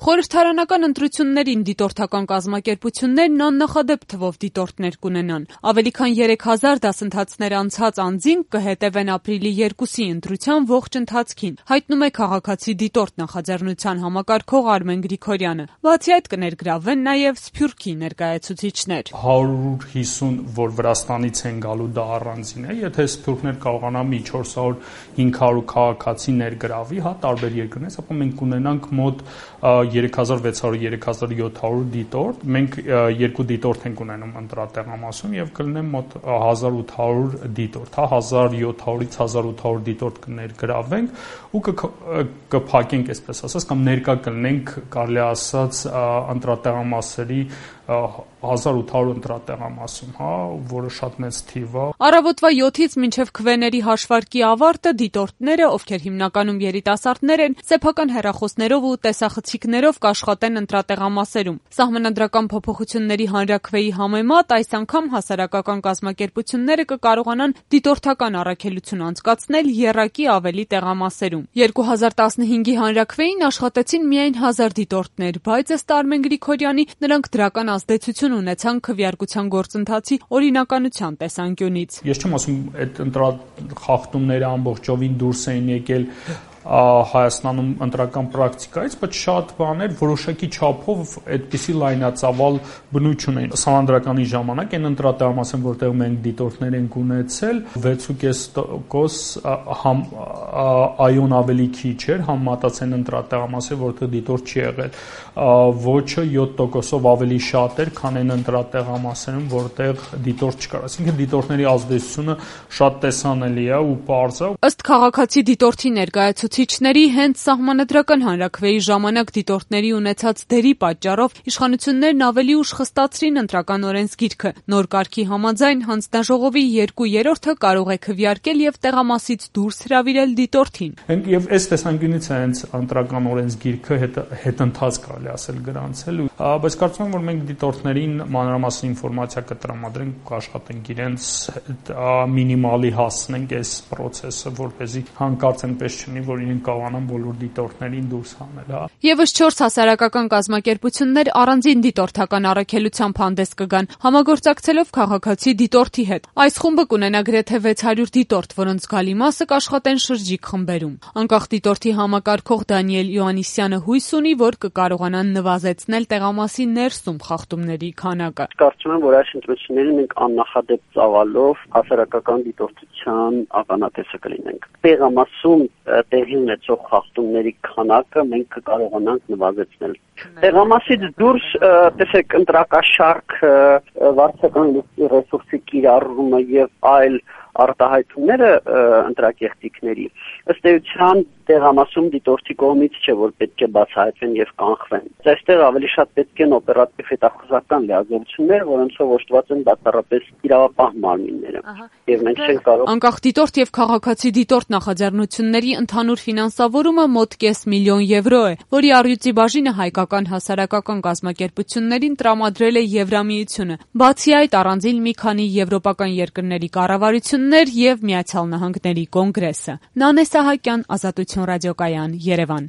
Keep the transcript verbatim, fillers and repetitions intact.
Խորհրդարանական ընտրություններին դիտորդական կազմակերպություններն աննախադեպ թվով դիտորդներ կունենան։ Ավելի քան երեք հազար դասընթացներ անցած անձինք կհետևեն ապրիլի երկուսի ընտրության ողջ ընթացքին, հայտնում է քաղաքացի դիտորդ նախաձեռնության համակարգող Արմեն Գրիգորյանը։ Բացի այդ կներգրավվեն նաև Սփյուռքի ներկայացուցիչներ։ հարյուր հիսուն, որ Վրաստանից են գալու, դա առանձին է, եթե Սփյուռքներ կարողանա մի չորս հարյուր հինգ հարյուր քաղաքացի ներգրավի, հա, տարբեր երկրներից, ապա մենք կունենանք մոտ երեք հազար վեց հարյուր երեք հազար յոթ հարյուր դիտորդ, մենք երկու դիտորդ ենք ունենում ընտրատեղամասում եւ կլինեն մոտ հազար ութ հարյուր դիտորդ, հա, հազար յոթ հարյուրից հազար ութ հարյուր դիտորդ կներգրավենք ու կփակենք, այսպես ասած, կամ ներկա կլինենք, կարելի ասած, ընտրատեղամասերի հազար ութ հարյուր ընտրատեղամասում, հա, որը շատ մեծ թիվ է։ Առավոտվա յոթից մինչև քվեների հաշվարկի ավարտը դիտորդները, ովքեր հիմնականում երիտասարդներ են, սեփական հեռախոսներով ու տեսախցիկներով կաշխատեն ընտրատեղամասերում։ Սահմանադրական փոփոխությունների հանրաքվեի համեմատ այս անգամ հասարակական կազմակերպությունները կկարողանան դիտորդական առաքելություն անցկացնել եռակի ավելի տեղամասերում։ երկու հազար տասնհինգի հանրաքվեին աշխատեցին միայն հազար դիտորդներ, բայց ըստ Արմեն Գրիգորյանի նրանք դրական ազդեցություն ունեցան քվեարկության գործընթացի օրինականության տեսանկյունից։ Ես չեմ ասում, այդ ընտրախախտումները ամբողջովին դուրս էին եկել Հայաստանում ընտրական պրակտիկայից, բայց շատ բաներ որոշակի չափով այդպիսի լայնածավալ բնույթ ունեն։ Սահմանադրականի ժամանակ այն ընտրատեղամասն, որտեղ մենք դիտորդներ ենք ունեցել, վեց ու կես տոկոս համ այոն ավելի քիչ էր, համեմատած այն ընտրատեղամասը, որտեղ դիտորդ չի եղել, ոչը յոթ տոկոսով ավելի շատ էր, քան այն ընտրատեղամասերում, որտեղ դիտորդ չկար։ Այսինքն դիտորդների ազդեցությունը շատ տեսանելի է ու պարզ է։ Ըստ քաղաքացի դիտորդի ներկայացուցիչների, հենց սահմանադրական հանրաքվեի ժամանակ դիտորդների ունեցած դերի պատճառով իշխանություններն ավելի ուշ խստացրին ընտրական օրենսգիրքը։ Նոր կարգի համաձայն հանձնաժողովի երկու երրորդը կարող է քվեարկել եւ տեղամասից դուրս հրավիրել դիտորդին։ Եվ այս տեսանկյունից է հենց ընտրական օրենսգիրքը հետընթաց կարելի ասել գրանցել, բայց կարծում եմ, որ մենք դիտորդներին մանրամասն ինֆորմացիա կտրամադրենք, կաշխատենք իրենց մինիմալի հասնենք այս process-ը, որպեսզի հանկարծ այնպես չլինի, որ իրենք կարողանան բոլոր դիտորդներին դուրս հանել, հա։ Եվս չորս հասարակական կազմակերպություններ առանձին դիտորդական առաքելությամբ հանդես կգան, համագործակցելով քաղաքացի դիտորդի հետ։ Այս խումբը կունենա գրեթե վեց հարյուր դիտորդ, որոնց զգալի մասը կաշխատեն շրջիկ խմբերում։ Անկախ դիտորդի համակարգող Դանիել Յոհաննիսյանը հույս ունի, որ կկարողանան նվազեցնել տեղամասի ներսում խախտումների քանակը։ Կարծում եմ, որ այս ընտրություններին մենք աննախադեպ ծավալով հասարակական դիտորդության ականատեսը կլինենք։ Տեղամասում տեղի ունեցող խախտումների քանակը մենք կկարողանանք նվազեցնել։ Տեղամասից դուրս, տեսեք, ընտրակաշարք, վարչական ռեսուրսի կիրառումը եւ այլ արտահայտումները ընտրակեղտիկների ըստ էության տեղամասում դիտորդի կողմից չէ, որ պետք է բացահայտվեն եւ կանխվեն։ Այստեղ ավելի շատ պետք են օպերատիվ հետախուզական լիազորություններ, որոնցով օժտված են բացառապես իրավապահ մարմինները։ Եվ մենք չենք կարող։ Անկախ դիտորդ եւ քաղաքացի դիտորդ նախաձեռնությունների ընդհանուր ֆինանսավորումը մոտ կես միլիոն եվրո է, որի առյուծի բաժինը հայկական հասարակական կազմակերպություններին տրամադրել է Եվրամիությունը։ Բացի այդ, առանձին մի քանի եվրոպական երկրների կառավարություններ եւ Միացյալ Նահանգների կոնգրեսը։ Նանե Սահակյան, Ազատություն ռադիոկայան, Երևան։